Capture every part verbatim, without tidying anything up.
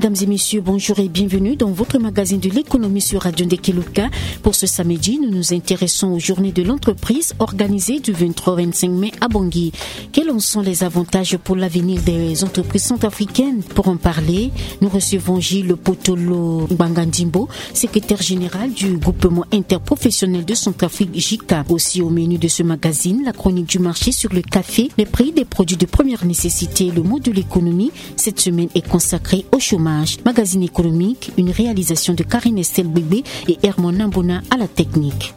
Mesdames et messieurs, bonjour et bienvenue dans votre magazine de l'économie sur Radio Ndekeluka. Pour ce samedi, nous nous intéressons aux journées de l'entreprise organisées du vingt-trois au vingt-cinq mai à Bangui. Quels en sont les avantages pour l'avenir des entreprises centrafricaines ? Pour en parler, nous recevons Gilles Potolo Bangandimbo, secrétaire général du groupement interprofessionnel de Centrafrique, JICA. Aussi au menu de ce magazine, la chronique du marché sur le café, les prix des produits de première nécessité, le mot de l'économie. Cette semaine est consacrée au chômage. Magazine économique, une réalisation de Karine Estelle Bébé et Herman Nambona à la technique.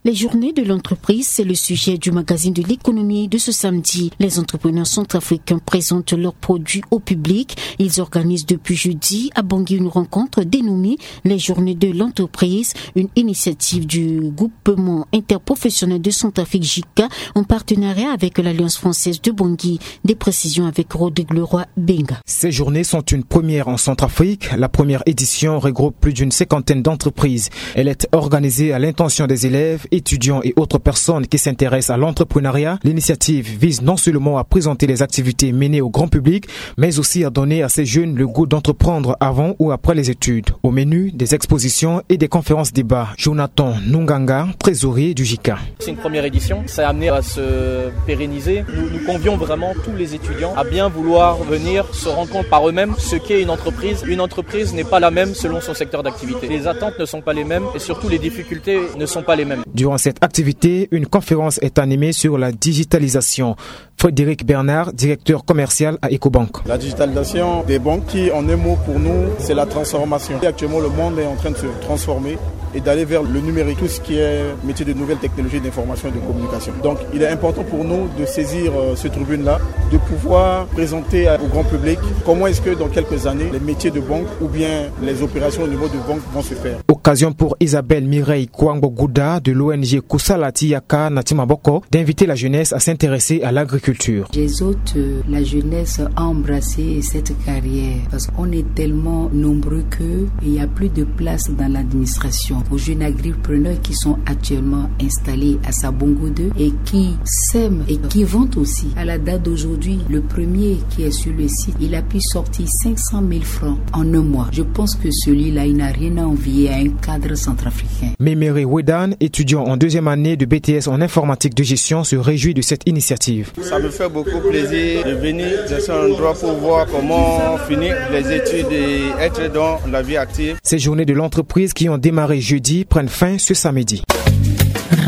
Les journées de l'entreprise, c'est le sujet du magazine de l'économie de ce samedi. Les entrepreneurs centrafricains présentent leurs produits au public. Ils organisent depuis jeudi à Bangui une rencontre dénommée les journées de l'entreprise, une initiative du groupement interprofessionnel de Centrafrique, JICA, en partenariat avec l'Alliance française de Bangui. Des précisions avec Rodrigue Leroy Benga. Ces journées sont une première en Centrafrique. La première édition regroupe plus d'une cinquantaine d'entreprises. Elle est organisée à l'intention des élèves, étudiants et autres personnes qui s'intéressent à l'entrepreneuriat. L'initiative vise non seulement à présenter les activités menées au grand public, mais aussi à donner à ces jeunes le goût d'entreprendre avant ou après les études. Au menu, des expositions et des conférences débats. Jonathan Nunganga, trésorier du JICA. C'est une première édition, ça a amené à se pérenniser. Nous, nous convions vraiment tous les étudiants à bien vouloir venir se rendre compte par eux-mêmes ce qu'est une entreprise. Une entreprise n'est pas la même selon son secteur d'activité. Les attentes ne sont pas les mêmes et surtout les difficultés ne sont pas les mêmes. Durant cette activité, une conférence est animée sur la digitalisation. Frédéric Bernard, directeur commercial à Ecobank. La digitalisation des banques qui, en un mot, pour nous, c'est la transformation. Et actuellement, le monde est en train de se transformer et d'aller vers le numérique, tout ce qui est métier de nouvelles technologies d'information et de communication. Donc, il est important pour nous de saisir, euh, ce tribune-là, de pouvoir présenter au grand public comment est-ce que dans quelques années, les métiers de banque ou bien les opérations au niveau de banque vont se faire. Occasion pour Isabelle Mireille Kouangbo Gouda de l'O N G Kusala ti Yaka na ti Maboko d'inviter la jeunesse à s'intéresser à l'agriculture. J'exhorte, euh, la jeunesse à embrasser cette carrière parce qu'on est tellement nombreux que il y a plus de place dans l'administration aux jeunes agripreneurs qui sont actuellement installés à Sabongo deux et qui sèment et qui vendent aussi. À la date d'aujourd'hui, le premier qui est sur le site, il a pu sortir cinq cent mille francs en un mois. Je pense que celui-là, il n'a rien à envier à un cadre centrafricain. Méméré Wedan, étudiant en deuxième année de B T S en informatique de gestion, se réjouit de cette initiative. Ça me fait beaucoup plaisir de venir dans cet endroit pour voir comment finir les études et être dans la vie active. Ces journées de l'entreprise qui ont démarré jeudi prennent fin ce samedi.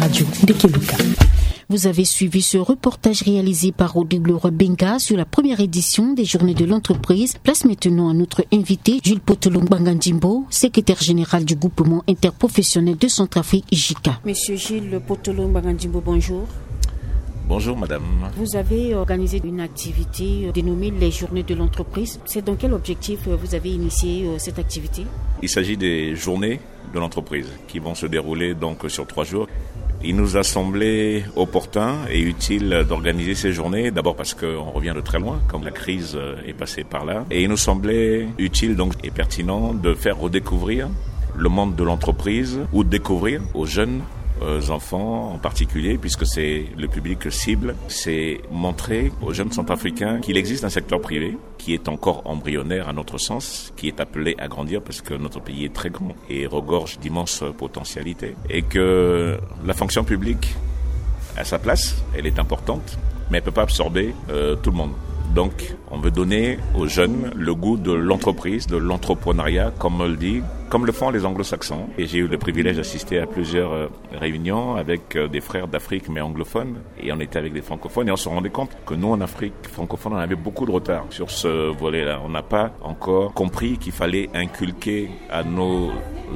Radio Ndekeluka. Vous avez suivi ce reportage réalisé par Rodrigue Leroy Benga sur la première édition des journées de l'entreprise. Place maintenant à notre invité, Gilles Potolo Bangandimbo, secrétaire général du groupement interprofessionnel de Centrafrique, JICA. Monsieur Gilles Potolo Bangandimbo, bonjour. Bonjour madame. Vous avez organisé une activité, euh, dénommée les journées de l'entreprise. C'est dans quel objectif, euh, vous avez initié, euh, cette activité ? Il s'agit des journées de l'entreprise qui vont se dérouler donc sur trois jours. Il nous a semblé opportun et utile d'organiser ces journées, d'abord parce qu'on revient de très loin, comme la crise, euh, est passée par là, et il nous semblait utile donc et pertinent de faire redécouvrir le monde de l'entreprise ou découvrir aux jeunes, euh, enfants en particulier, puisque c'est le public cible, c'est montrer aux jeunes centrafricains qu'il existe un secteur privé qui est encore embryonnaire à notre sens, qui est appelé à grandir parce que notre pays est très grand et regorge d'immenses potentialités, et que la fonction publique a sa place, elle est importante, mais elle peut pas absorber, euh, tout le monde. Donc, on veut donner aux jeunes le goût de l'entreprise, de l'entrepreneuriat, comme on le dit, comme le font les anglo-saxons. Et j'ai eu le privilège d'assister à plusieurs, euh, réunions avec, euh, des frères d'Afrique, mais anglophones, et on était avec des francophones, et on se rendait compte que nous, en Afrique francophone, on avait beaucoup de retard sur ce volet-là. On n'a pas encore compris qu'il fallait inculquer à nos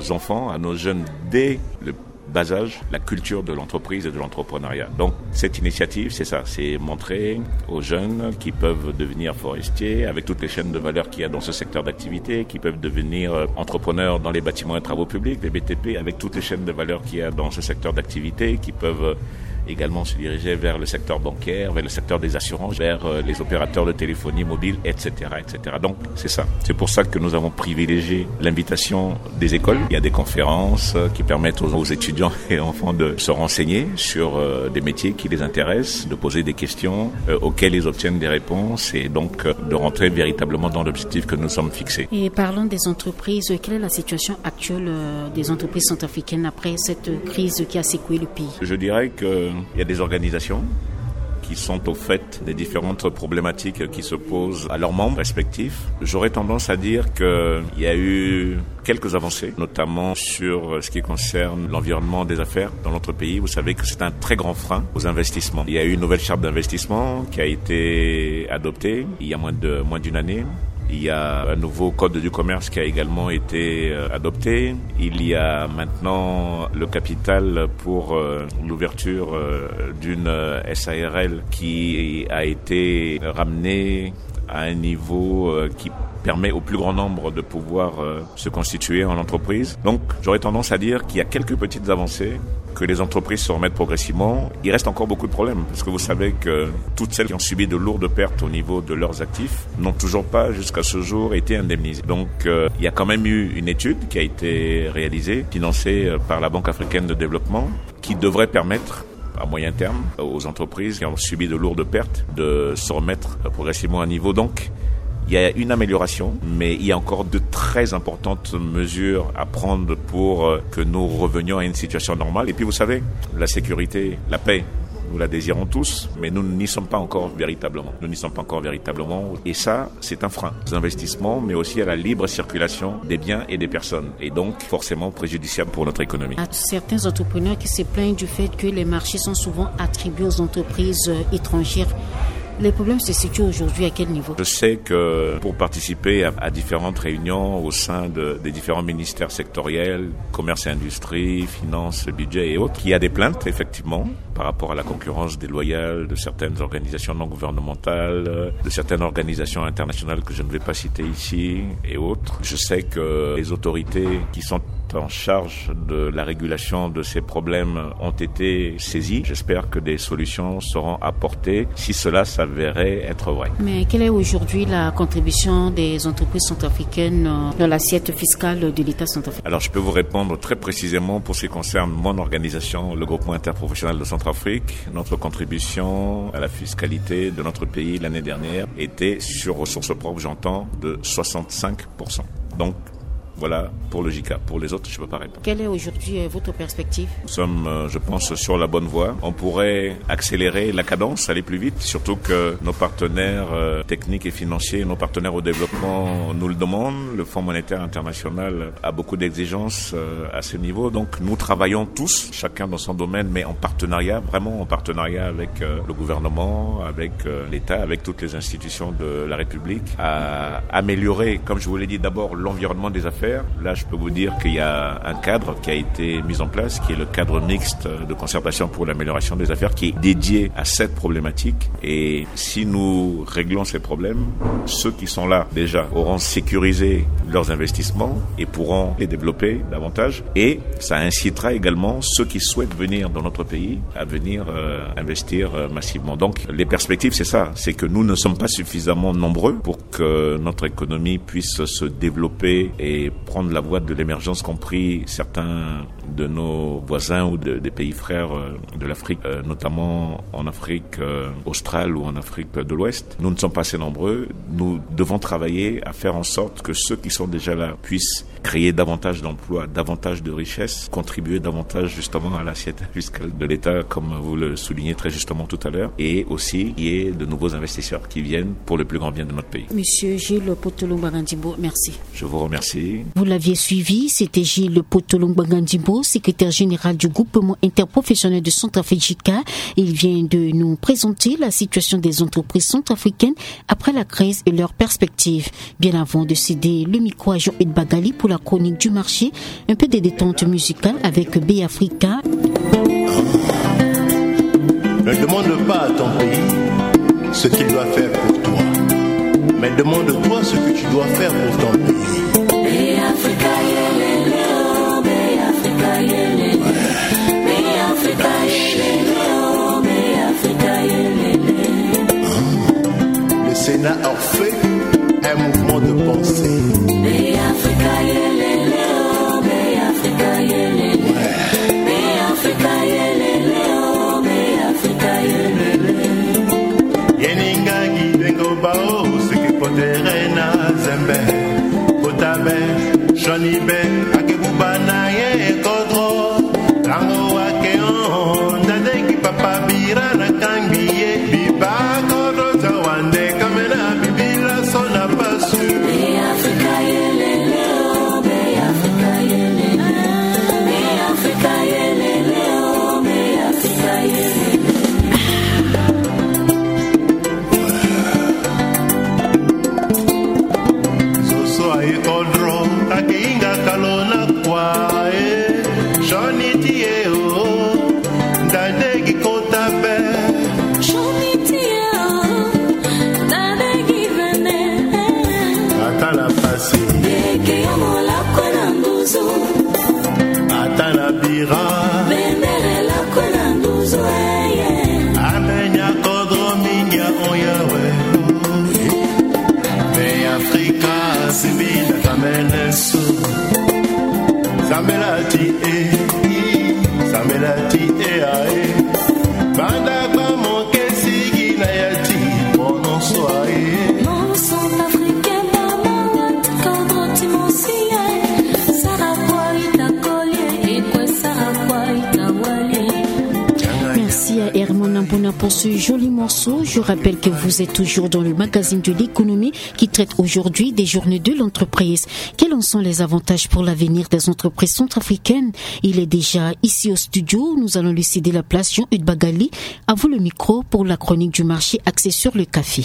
enfants, à nos jeunes, dès le bas âge, la culture de l'entreprise et de l'entrepreneuriat. Donc, cette initiative, c'est ça, c'est montrer aux jeunes qui peuvent devenir forestiers avec toutes les chaînes de valeur qu'il y a dans ce secteur d'activité, qui peuvent devenir, euh, entrepreneurs dans les bâtiments et travaux publics, les B T P, avec toutes les chaînes de valeur qu'il y a dans ce secteur d'activité, qui peuvent, euh, également se diriger vers le secteur bancaire, vers le secteur des assurances, vers euh, les opérateurs de téléphonie mobile, et cetera, et cetera. Donc, c'est ça. C'est pour ça que nous avons privilégié l'invitation des écoles. Il y a des conférences euh, qui permettent aux, aux étudiants et enfants de se renseigner sur euh, des métiers qui les intéressent, de poser des questions euh, auxquelles ils obtiennent des réponses et donc euh, de rentrer véritablement dans l'objectif que nous sommes fixés. Et parlons des entreprises. Quelle est la situation actuelle euh, des entreprises centrafricaines après cette crise qui a secoué le pays ? Je dirais qu'il y a des organisations qui sont au fait des différentes problématiques qui se posent à leurs membres respectifs. J'aurais tendance à dire qu'il y a eu quelques avancées, notamment sur ce qui concerne l'environnement des affaires dans notre pays. Vous savez que c'est un très grand frein aux investissements. Il y a eu une nouvelle charte d'investissement qui a été adoptée il y a moins de, moins d'une année. Il y a un nouveau code du commerce qui a également été euh, adopté. Il y a maintenant le capital pour euh, l'ouverture euh, d'une euh, S A R L qui a été ramenée à un niveau euh, qui permet au plus grand nombre de pouvoir euh, se constituer en entreprise. Donc, j'aurais tendance à dire qu'il y a quelques petites avancées, que les entreprises se remettent progressivement. Il reste encore beaucoup de problèmes, parce que vous savez que toutes celles qui ont subi de lourdes pertes au niveau de leurs actifs n'ont toujours pas, jusqu'à ce jour, été indemnisées. Donc, euh, il y a quand même eu une étude qui a été réalisée, financée euh, par la Banque africaine de développement, qui devrait permettre à moyen terme aux entreprises qui ont subi de lourdes pertes de se remettre progressivement à niveau. Donc, il y a une amélioration, mais il y a encore de très importantes mesures à prendre pour euh, que nous revenions à une situation normale. Et puis, vous savez, la sécurité, la paix, nous la désirons tous, mais nous n'y sommes pas encore véritablement. Nous n'y sommes pas encore véritablement. Et ça, c'est un frein aux investissements, mais aussi à la libre circulation des biens et des personnes. Et donc, forcément préjudiciable pour notre économie. À certains entrepreneurs qui se plaignent du fait que les marchés sont souvent attribués aux entreprises euh, étrangères, les problèmes se situent aujourd'hui à quel niveau ? Je sais que pour participer à, à différentes réunions au sein de, des différents ministères sectoriels, commerce et industrie, finances, budget et autres, il y a des plaintes, effectivement, par rapport à la concurrence déloyale de certaines organisations non gouvernementales, de certaines organisations internationales que je ne vais pas citer ici et autres. Je sais que les autorités qui sont en charge de la régulation de ces problèmes ont été saisies. J'espère que des solutions seront apportées si cela s'avérait être vrai. Mais quelle est aujourd'hui la contribution des entreprises centrafricaines euh, dans l'assiette fiscale de l'État centrafricain ? Alors, je peux vous répondre très précisément pour ce qui concerne mon organisation, le Groupement interprofessionnel de Centrafrique. Notre contribution à la fiscalité de notre pays l'année dernière était, sur ressources propres, j'entends, de soixante-cinq pour cent. Donc, voilà pour le J K. Pour les autres, je ne peux pas répondre. Quelle est aujourd'hui euh, votre perspective ? Nous sommes, euh, je pense, sur la bonne voie. On pourrait accélérer la cadence, aller plus vite, surtout que nos partenaires euh, techniques et financiers, nos partenaires au développement nous le demandent. Le Fonds monétaire international a beaucoup d'exigences euh, à ce niveau. Donc, nous travaillons tous, chacun dans son domaine, mais en partenariat, vraiment en partenariat avec euh, le gouvernement, avec euh, l'État, avec toutes les institutions de la République, à améliorer, comme je vous l'ai dit, d'abord l'environnement des affaires. Là, je peux vous dire qu'il y a un cadre qui a été mis en place, qui est le cadre mixte de concertation pour l'amélioration des affaires, qui est dédié à cette problématique. Et si nous réglons ces problèmes, ceux qui sont là déjà auront sécurisé leurs investissements et pourront les développer davantage. Et ça incitera également ceux qui souhaitent venir dans notre pays à venir euh, investir euh, massivement. Donc, les perspectives, c'est ça, c'est que nous ne sommes pas suffisamment nombreux pour que notre économie puisse se développer et prendre la voie de l'émergence qu'ont pris certains de nos voisins ou de, des pays frères euh, de l'Afrique, euh, notamment en Afrique euh, australe ou en Afrique de l'Ouest. Nous ne sommes pas assez nombreux. Nous devons travailler à faire en sorte que ceux qui sont déjà là puissent créer davantage d'emplois, davantage de richesses, contribuer davantage justement à l'assiette fiscale de l'État, comme vous le soulignez très justement tout à l'heure, et aussi qu'il y ait de nouveaux investisseurs qui viennent pour le plus grand bien de notre pays. Monsieur Gilles Potolo Mbangandimbo, merci. Je vous remercie. Vous l'aviez suivi, c'était Gilles Potolo Mbangandimbo, secrétaire général du groupement interprofessionnel de Centrafrique. Il vient de nous présenter la situation des entreprises centrafricaines après la crise et leurs perspectives. Bien avant de céder le micro à Jean-Hugues Bagali pour la chronique du marché, un peu de détente musicale avec Bay Africa. Ne demande pas à ton pays ce qu'il doit faire pour toi, mais demande-toi ce que tu dois faire pour ton pays. Bay Africa, yeah, yeah, yeah, oh, Bay Africa, yeah, yeah, yeah. Bay Africa, yeah, yeah, yeah, oh. Iti e o, ndade gi kota pe. Shoni ti e o, ndade gi vene. Ata na pasi. Eke yo mo lakue na nduzu. Ata na bira. Bendere lakue na nduzu, eye. Amenya kodro mingi a oyawe. Me Afrika, sibi na kamene so. Sambela ti e, sambela ti e, ae. Banda gba mo ke sigi na ya ti, bonsoir, ae. Mon centrafricain, maman, kodro ti mo si, ae. Sara kwa ita kolie, ekwe sara kwa ita walie. Merci à Herman Nambuna pour ce joli morceau. Je rappelle que vous êtes toujours dans le magazine de l'économie qui traite aujourd'hui des journées de l'entreprise. Quels en sont les avantages pour l'avenir des entreprises centrafricaines ? Il est déjà ici au studio. Nous allons lui céder la place. Jean-Eudes Bagali, à vous le micro pour la chronique du marché axée sur le café.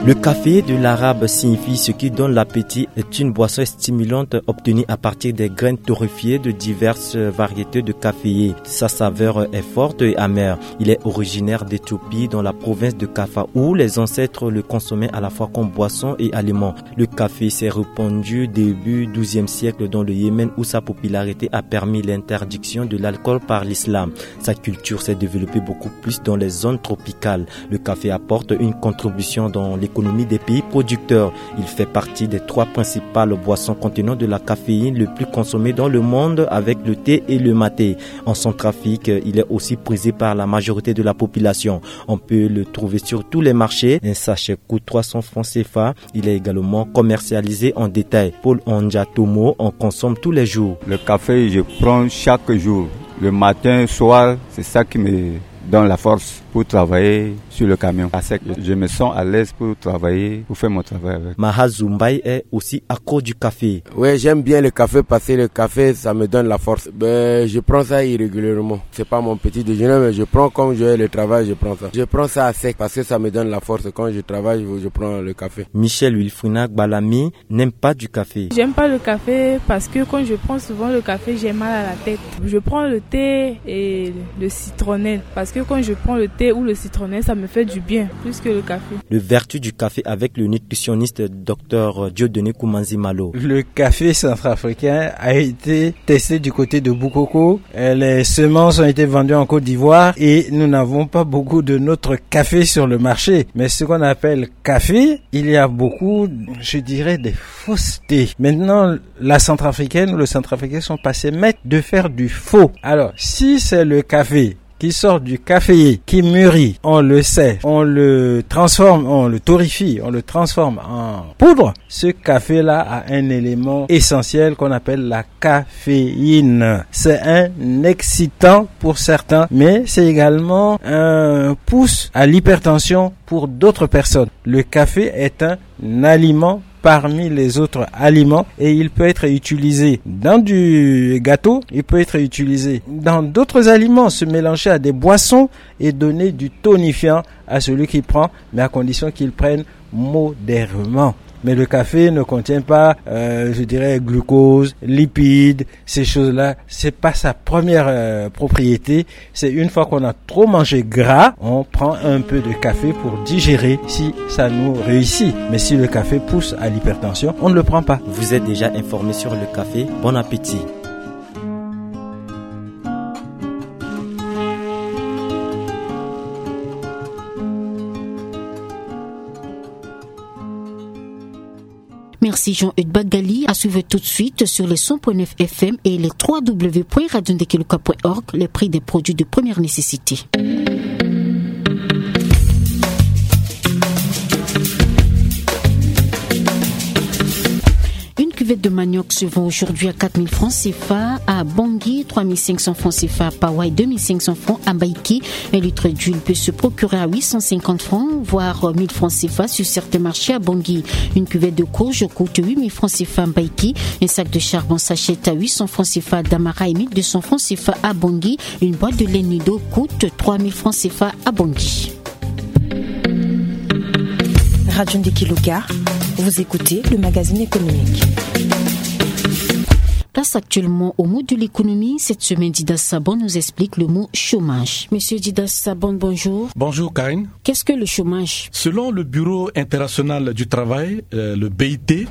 Le café, de l'arabe, signifie ce qui donne l'appétit, est une boisson stimulante obtenue à partir des graines torréfiées de diverses variétés de caféier. Sa saveur est forte et amère. Il est originaire d'Éthiopie, dans la province de Kaffa, où les ancêtres le consommaient à la fois comme boisson et aliment. Le café s'est répandu début douzième siècle dans le Yémen, où sa popularité a permis l'interdiction de l'alcool par l'islam. Sa culture s'est développée beaucoup plus dans les zones tropicales. Le café apporte une contribution dans l'économie des pays producteurs. Il fait partie des trois principales boissons contenant de la caféine le plus consommées dans le monde, avec le thé et le maté. En Centrafrique, il est aussi prisé par la majorité de la population. On peut le trouver sur tous les marchés. Un sachet coûte trois cents francs C F A. Il est également commercialisé en détail. Paul Onjatomo en consomme tous les jours. Le café, je prends chaque jour. Le matin, soir, c'est ça qui me donne la force pour travailler sur le camion. À sec, je me sens à l'aise pour travailler, pour faire mon travail avec. Mahazu Mbaye est aussi accro du café. Ouais, j'aime bien le café parce que le café, ça me donne la force. Ben, je prends ça irrégulièrement. C'est pas mon petit déjeuner, mais je prends, comme je vais le travail, je prends ça. Je prends ça à sec parce que ça me donne la force. Quand je travaille, je prends le café. Michel Wilfrina Gbalami n'aime pas du café. J'aime pas le café parce que quand je prends souvent le café, j'ai mal à la tête. Je prends le thé et le citronnelle parce que quand je prends le thé ou le citronnelle, ça me fait du bien plus que le café. Le vertu du café avec le nutritionniste docteur Dieudonné Koumanzi Malo. Le café centrafricain a été testé du côté de Boukoko. Euh, les semences ont été vendues en Côte d'Ivoire et nous n'avons pas beaucoup de notre café sur le marché. Mais ce qu'on appelle café, il y a beaucoup, je dirais, des faussetés. Maintenant, la centrafricaine ou le centrafricain sont passés maîtres de faire du faux. Alors, si c'est le café qui sort du caféier, qui mûrit, on le sèche, on le transforme, on le torréfie, on le transforme en poudre, ce café-là a un élément essentiel qu'on appelle la caféine. C'est un excitant pour certains, mais c'est également un pouce à l'hypertension pour d'autres personnes. Le café est un aliment parmi les autres aliments et il peut être utilisé dans du gâteau, il peut être utilisé dans d'autres aliments, se mélanger à des boissons et donner du tonifiant à celui qui prend, mais à condition qu'il prenne modérément. Mais le café ne contient pas, euh, je dirais, glucose, lipides, ces choses-là. C'est pas sa première, euh, propriété. C'est une fois qu'on a trop mangé gras, on prend un peu de café pour digérer si ça nous réussit. Mais si le café pousse à l'hypertension, on ne le prend pas. Vous êtes déjà informé sur le café. Bon appétit. Merci Jean-Eudes Bagali. À suivre tout de suite sur les cent point neuf F M et les trois W point radio ndekeluka point org, les prix des produits de première nécessité. Une cuvette de manioc se vend aujourd'hui à quatre mille francs C F A à Bangui, trois mille cinq cents francs C F A à Pawa et deux mille cinq cents francs à Mbaïki. Un litre d'huile peut se procurer à huit cent cinquante francs, voire mille francs C F A sur certains marchés à Bangui. Une cuvette de courge coûte huit mille francs C F A à Mbaïki. Un sac de charbon s'achète à huit cents francs C F A à Damara et mille deux cents francs C F A à Bangui. Une boîte de lait Nido coûte trois mille francs C F A à Bangui. Radio Ndekeluka, Vous écoutez le magazine économique. Place actuellement au mot de l'économie. Cette semaine, Dida Sabon nous explique le mot chômage. Monsieur Dida Sabon, bonjour. Bonjour, Karine. Qu'est-ce que le chômage ? Selon le Bureau international du travail, euh, le B I T,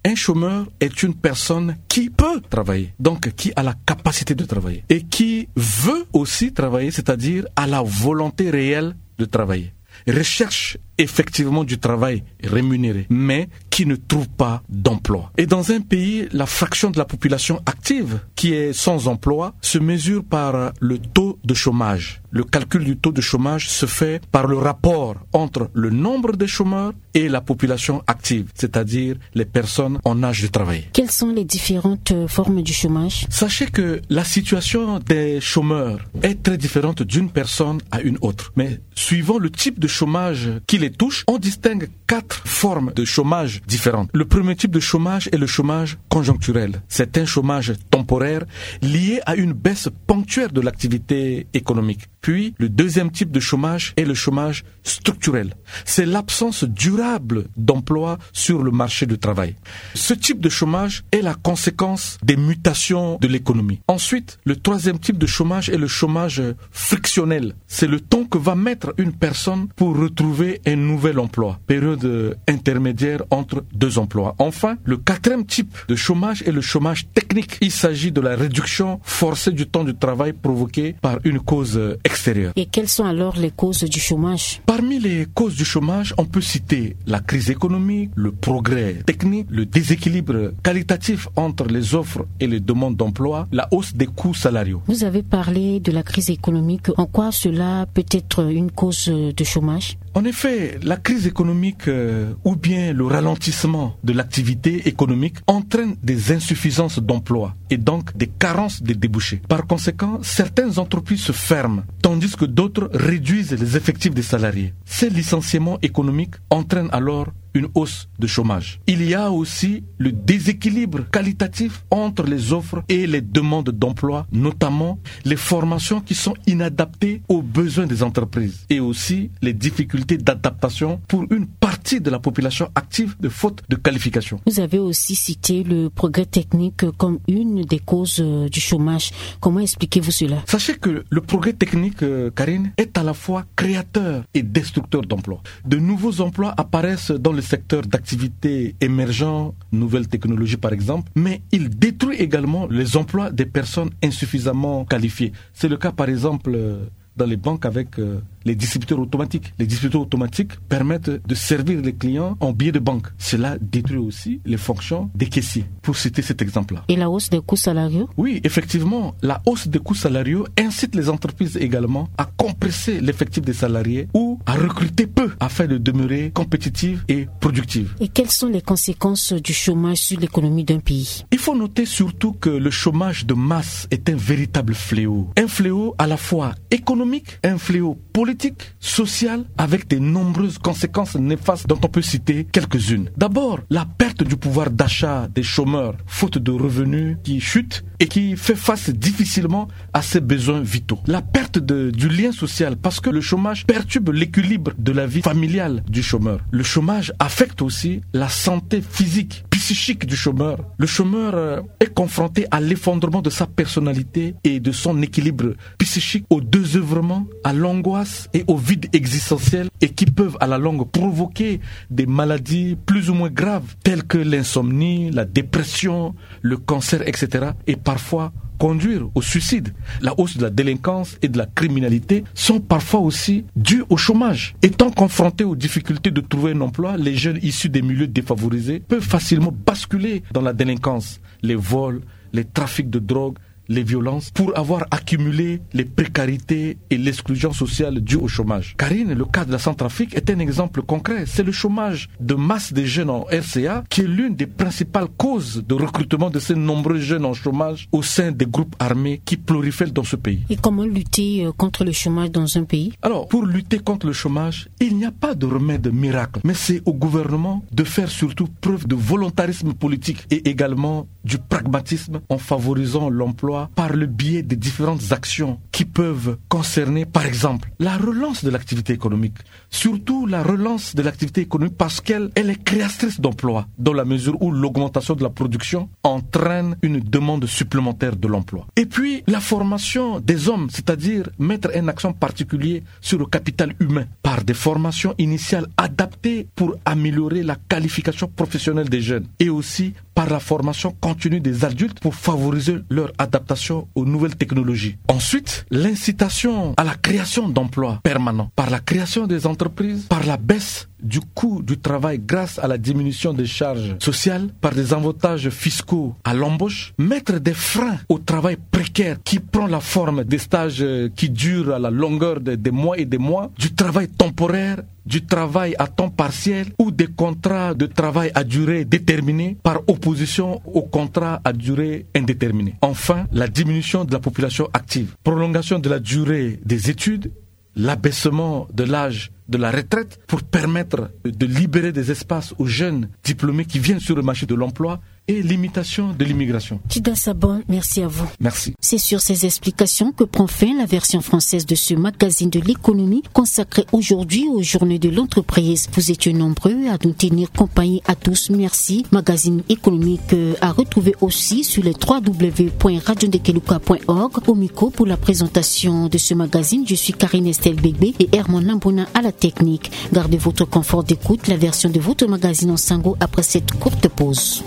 un chômeur est une personne qui peut travailler, donc qui a la capacité de travailler et qui veut aussi travailler, c'est-à-dire a la volonté réelle de travailler, recherche effectivement du travail rémunéré, mais qui ne trouve pas d'emploi. Et dans un pays, la fraction de la population active qui est sans emploi se mesure par le taux de chômage. Le calcul du taux de chômage se fait par le rapport entre le nombre de chômeurs et la population active, c'est-à-dire les personnes en âge de travail. Quelles sont les différentes, euh, formes du chômage ? Sachez que la situation des chômeurs est très différente d'une personne à une autre. Mais suivant le type de chômage qui les touche, on distingue quatre formes de chômage différentes. Le premier type de chômage est le chômage conjoncturel. C'est un chômage temporaire lié à une baisse ponctuelle de l'activité économique. Puis, le deuxième type de chômage est le chômage structurel. C'est l'absence durable d'emploi sur le marché du travail. Ce type de chômage est la conséquence des mutations de l'économie. Ensuite, le troisième type de chômage est le chômage frictionnel. C'est le temps que va mettre une personne pour retrouver un nouvel emploi, période, euh, intermédiaire entre deux emplois. Enfin, le quatrième type de chômage est le chômage technique. Il s'agit de la réduction forcée du temps de travail provoquée par une cause, euh, extérieure. Et quelles sont alors les causes du chômage ? Parmi les causes du chômage, on peut citer la crise économique, le progrès technique, le déséquilibre qualitatif entre les offres et les demandes d'emploi, la hausse des coûts salariaux. Vous avez parlé de la crise économique. En quoi cela peut être une cause de chômage ? En effet, la crise économique, euh, ou bien le ralentissement de l'activité économique entraîne des insuffisances d'emploi et donc des carences de débouchés. Par conséquent, certaines entreprises se ferment, tandis que d'autres réduisent les effectifs des salariés. Ces licenciements économiques entraînent alors une hausse de chômage. Il y a aussi le déséquilibre qualitatif entre les offres et les demandes d'emploi, notamment les formations qui sont inadaptées aux besoins des entreprises et aussi les difficultés d'adaptation pour une partie de la population active de faute de qualification. Vous avez aussi cité le progrès technique comme une des causes, euh, du chômage. Comment expliquez-vous cela ? Sachez que le progrès technique, euh, Karine, est à la fois créateur et destructeur d'emplois. De nouveaux emplois apparaissent dans le secteur d'activité émergent, nouvelles technologies par exemple, mais il détruit également les emplois des personnes insuffisamment qualifiées. C'est le cas par exemple, euh, dans les banques avec, euh, les distributeurs automatiques. Les distributeurs automatiques permettent de servir les clients en billet de banque. Cela détruit aussi les fonctions des caissiers, pour citer cet exemple-là. Et la hausse des coûts salariaux ? Oui, effectivement, la hausse des coûts salariaux incite les entreprises également à compresser l'effectif des salariés ou à recruter peu afin de demeurer compétitives et productives. Et quelles sont les conséquences du chômage sur l'économie d'un pays ? Il faut noter surtout que le chômage de masse est un véritable fléau. Un fléau à la fois économique, un fléau politique, social, avec de nombreuses conséquences néfastes dont on peut citer quelques-unes. D'abord, la perte du pouvoir d'achat des chômeurs, faute de revenus qui chutent et qui fait face difficilement à ses besoins vitaux. La perte de, du lien social, parce que le chômage perturbe l'équilibre de la vie familiale du chômeur. Le chômage affecte aussi la santé physique, psychique du chômeur. Le chômeur, euh, est confronté à l'effondrement de sa personnalité et de son équilibre psychique, au désœuvrement, à l'angoisse et au vide existentiel, et qui peuvent à la longue provoquer des maladies plus ou moins graves telles que l'insomnie, la dépression, le cancer, et cetera, et parfois conduire au suicide. La hausse de la délinquance et de la criminalité sont parfois aussi dues au chômage. Étant confrontés aux difficultés de trouver un emploi, les jeunes issus des milieux défavorisés peuvent facilement basculer dans la délinquance, les vols, les trafics de drogue, les violences, pour avoir accumulé les précarités et l'exclusion sociale due au chômage. Karine, le cas de la Centrafrique est un exemple concret. C'est le chômage de masse des jeunes en R C A qui est l'une des principales causes de recrutement de ces nombreux jeunes en chômage au sein des groupes armés qui prolifèrent dans ce pays. Et comment lutter, euh, contre le chômage dans un pays ? Alors, pour lutter contre le chômage, il n'y a pas de remède miracle, mais c'est au gouvernement de faire surtout preuve de volontarisme politique et également du pragmatisme en favorisant l'emploi par le biais des différentes actions qui peuvent concerner, par exemple, la relance de l'activité économique, surtout la relance de l'activité économique parce qu'elle elle est créatrice d'emplois, dans la mesure où l'augmentation de la production entraîne une demande supplémentaire de l'emploi. Et puis, la formation des hommes, c'est-à-dire mettre un accent particulier sur le capital humain par des formations initiales adaptées pour améliorer la qualification professionnelle des jeunes et aussi par la formation continue des adultes pour favoriser leur adaptation aux nouvelles technologies. Ensuite, l'incitation à la création d'emplois permanents par la création des entreprises, par la baisse du coût du travail grâce à la diminution des charges sociales, par des avantages fiscaux à l'embauche, mettre des freins au travail précaire qui prend la forme des stages, euh, qui durent à la longueur de, des mois et des mois, du travail temporaire, du travail à temps partiel ou des contrats de travail à durée déterminée par opposition aux contrats à durée indéterminée. Enfin, la diminution de la population active, prolongation de la durée des études, l'abaissement de l'âge de la retraite pour permettre de libérer des espaces aux jeunes diplômés qui viennent sur le marché de l'emploi et limitation de l'immigration. Tida Sabon, merci à vous. Merci. C'est sur ces explications que prend fin la version française de ce magazine de l'économie consacré aujourd'hui aux journées de l'entreprise. Vous étiez nombreux à nous tenir compagnie à tous. Merci. Magazine économique, euh, à retrouver aussi sur les trois w point radio ndekeluka point org. Au micro pour la présentation de ce magazine, je suis Karine Estelle Bégbe et Herman Nambona à la technique. Gardez votre confort d'écoute, la version de votre magazine en sango après cette courte pause.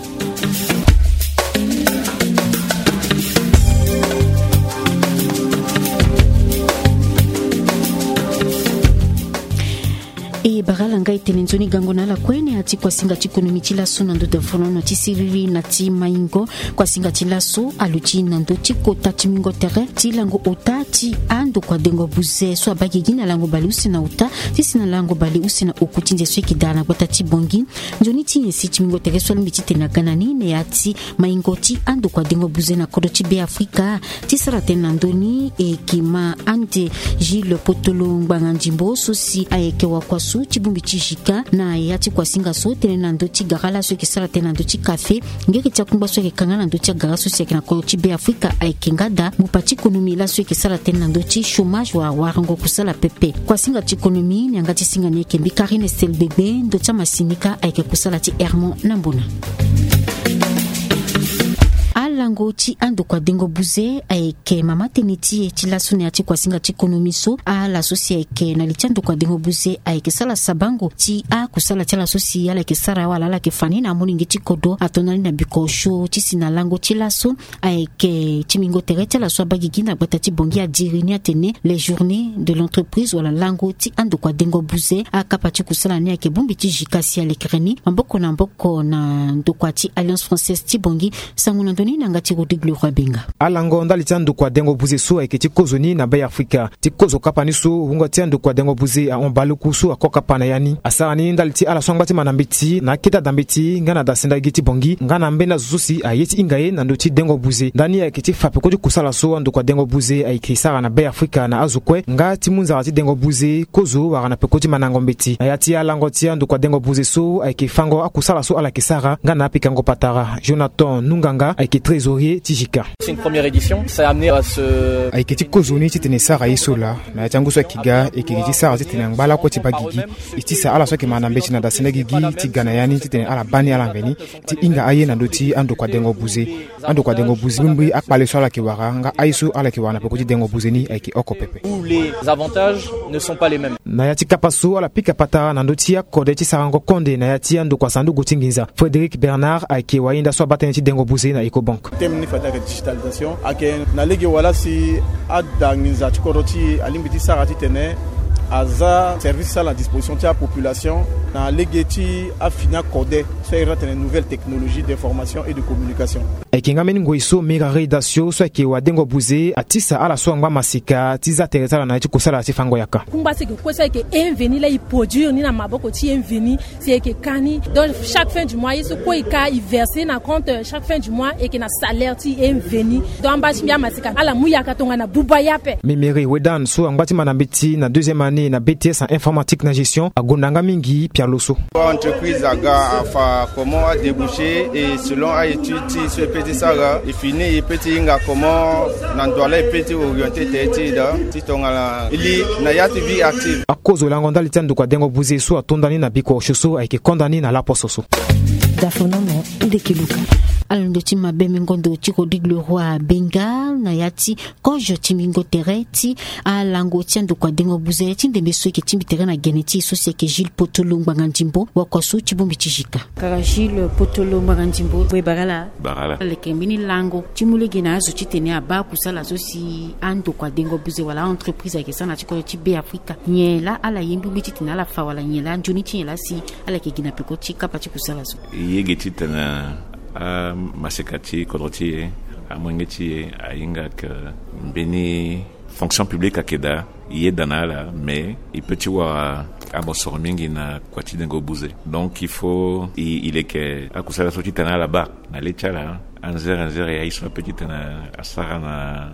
E bara la ngai tene nzoni gango na ala kue na ya ti kuasinga ti konomi ti laso na ndo davolono ti siriri na ti maingo. Kuasinga ti laso aluti na ndo ti kota ti mingo tere ti lango ota ti andokua dengo buze so abaa gigi na lango baleuse na ota ti si na lango baleuse na oku ti nze so eke daa na gbata ti Bangui. Nzoni ti nyen si ti mingo tere so alingbi titene aga na ni na ya ti maingo ti andokua dengo buze na kodro ti Beafrika? Ti sara tënë na ndö ni, e ke ma ande Gilles Potolo Ngbanga Ndimbo so si ayeke wakua so ti bongbi ti JICA na ya ti kuasinga so tënë na ndö ti gara laso eke sara tënë na ndö ti kafe. Ngeri ti akungba so ayeke kanga na ndö ti agara so si ayeke na kodro ti Beafrika ayeke nga daa. Mupa ti konomi laso eke sara tënë na ndö ti chômage wala warango kusala pepe. Kuasinga ti konomi ni yanga ti singa ni ayeke mbi Karine Estel Gbegbe, ndö ti amasinika ayeke kusala ti Hermon Nambona. Alango ti andokua dengo buze ayeke mama tënë ti e ti laso na ya ti kuasinga ti konomi so. Ala so si ayeke na li ti andokua dengo buze ayeke sara sabango ti akusala ti ala so si ala yeke sara wala ala yeke fa ni na amolenge ti kodro ato na ni na bikosho ti si na lango ti laso. Ayeke ti mingo tere ti ala so abaa gigi na gbata ti Bangui adiri ni atene les journées de l'entreprise wala lango ti andokua dengo buze. Akapa ti kusala ni ayeke bongbi ti JICA si alekere ni maboko na maboko na ndokua ti Alliance Française ti Bangui. Sango na ndö ni na yanga ti Rodrigue Leroy Benga. Alango ndali ti andokua dengo buze so ayeke ti kozo ni na Beafrika. Ti kozo kapa ni so wungo ti andokua dengo buze ahon baleku so ako kapa na ya ni. Asara ni ndali ti ala so angba ti manda mbeti na akete ada mbeti nga na dasenda gi ti Bangui nga na ambeni azo so si aye ti hinga ye na ndö ti dengo buze. Ndani ayeke ti fa peko ti kusala so andokua dengo buze ayeke sara na Beafrika na azo kue nga ti mu nzara ti dengo buze kozo wala na peko ti mandango mbeti. Na ya ti alango ti andokua dengo buze so ayeke fango akusala so ala yeke sara nga na apikango patara. Jonathan Nunganga ayeke trésorier ti JICA. C'est une première édition. Ça a amené à ce... Ayeke ti kozo ni titene e sara ye so laa. Na ya ti angu so ayeke ga e yeke gi ti sara titene angba lakue ti baa gigi. E tisa ala so ayeke manda mbeti na dasenda gigi ti ga na ya ni titene ala baa ni ala mveni ti hinga aye na ndö ti andokua dengo buze. Andokua dengo buze mbirimbiri akpale so ala yeke wara nga aye so ala yeke wara na peko ti dengo buze ni ayeke oko pepe. Où les avantages ne sont pas les mêmes. Na ya ti kapa so ala pika patara na ndö ti akode ti sarango konde na ya ti andokua sanduku ti nginza. Frédéric Bernard ayeke wahinda so abaa tënë ti dengo buze na Ecobank. Thème ni fade ayeke digitalisation, ayeke na lege wala si ada nginza ti kodro ti e alingbi ti sara titene aza service ti ala na disposition ti apopulation na lege ti afini akode so a iri ni atene nouvelle technologie d'information et de communication. Ayeke nga mbeni ngoi so Mira Reida Sio so ayeke wadengo buze atisa ala so angba masika ti za tere ti ala na ya ti kusala ti fango yaka. Kungba so e yeke kue so ayeke inveni laa e produire ni na maboko ti inveni si e yeke ka ni. Donc chaque fin du mois ye so kue e ka e verser na compte chaque fin du mois e yeke na salaire ti inveni. Donc amba ti mbi amasika ala mu yaka tongana buba ye ape. Mimiri Wedan so angba ti manda mbeti na deuxième année na B T S en informatique na gestion agonda nga mingi pialo so. Entreprise aga afa comment adéboucher et selon a étude ti so e peut Sara e fini e peut ti hinga comment na ndo ala e peut ti orienter tere ti e daa ti tongana e li na ya ti vie active. Akozo lango ndali ti andokua dengo buze so atonda ni na biko osio so ayeke konda ni na laposo so. Dafonomo ndeke luka. Alondo ti mabe mingo ndo ti Rodrigue Leroy Benga na ya ti kozo ti mingo tere ti alango ti andokua dengo buze ti ndembe so eke tingbi tere na gene ti e so si ayeke Gilles Potolo Ngbanga Ndimbo wakua so ti bongbi ti Jika. Kara Gilles Potolo Ngbanga Ndimbo, we barala. Barala. Aleke mbeni lango ti mu lege na azo titene abaa kusala so si andokua dengo buze wala a-entreprise ayeke sara na ti kodro ti Be Afrika. Nyen laa ala ye ngbingbi titene ala fa wala nyen laa nzoni ti nyen laa si ala yeke gi na peko ti kapa ti kusala so? E yege titene amaseka ti kodro ti e, amolenge ti e ahinga ke mbeni fonction publique ayeke daa, e yeda na ala, mais e peut ti wara amosoro mingi na kua ti dengo buze. Donc il faut e, e leke akusala so titene ala baa na le ti ala. Anzere anzere aye so ape titene asara na,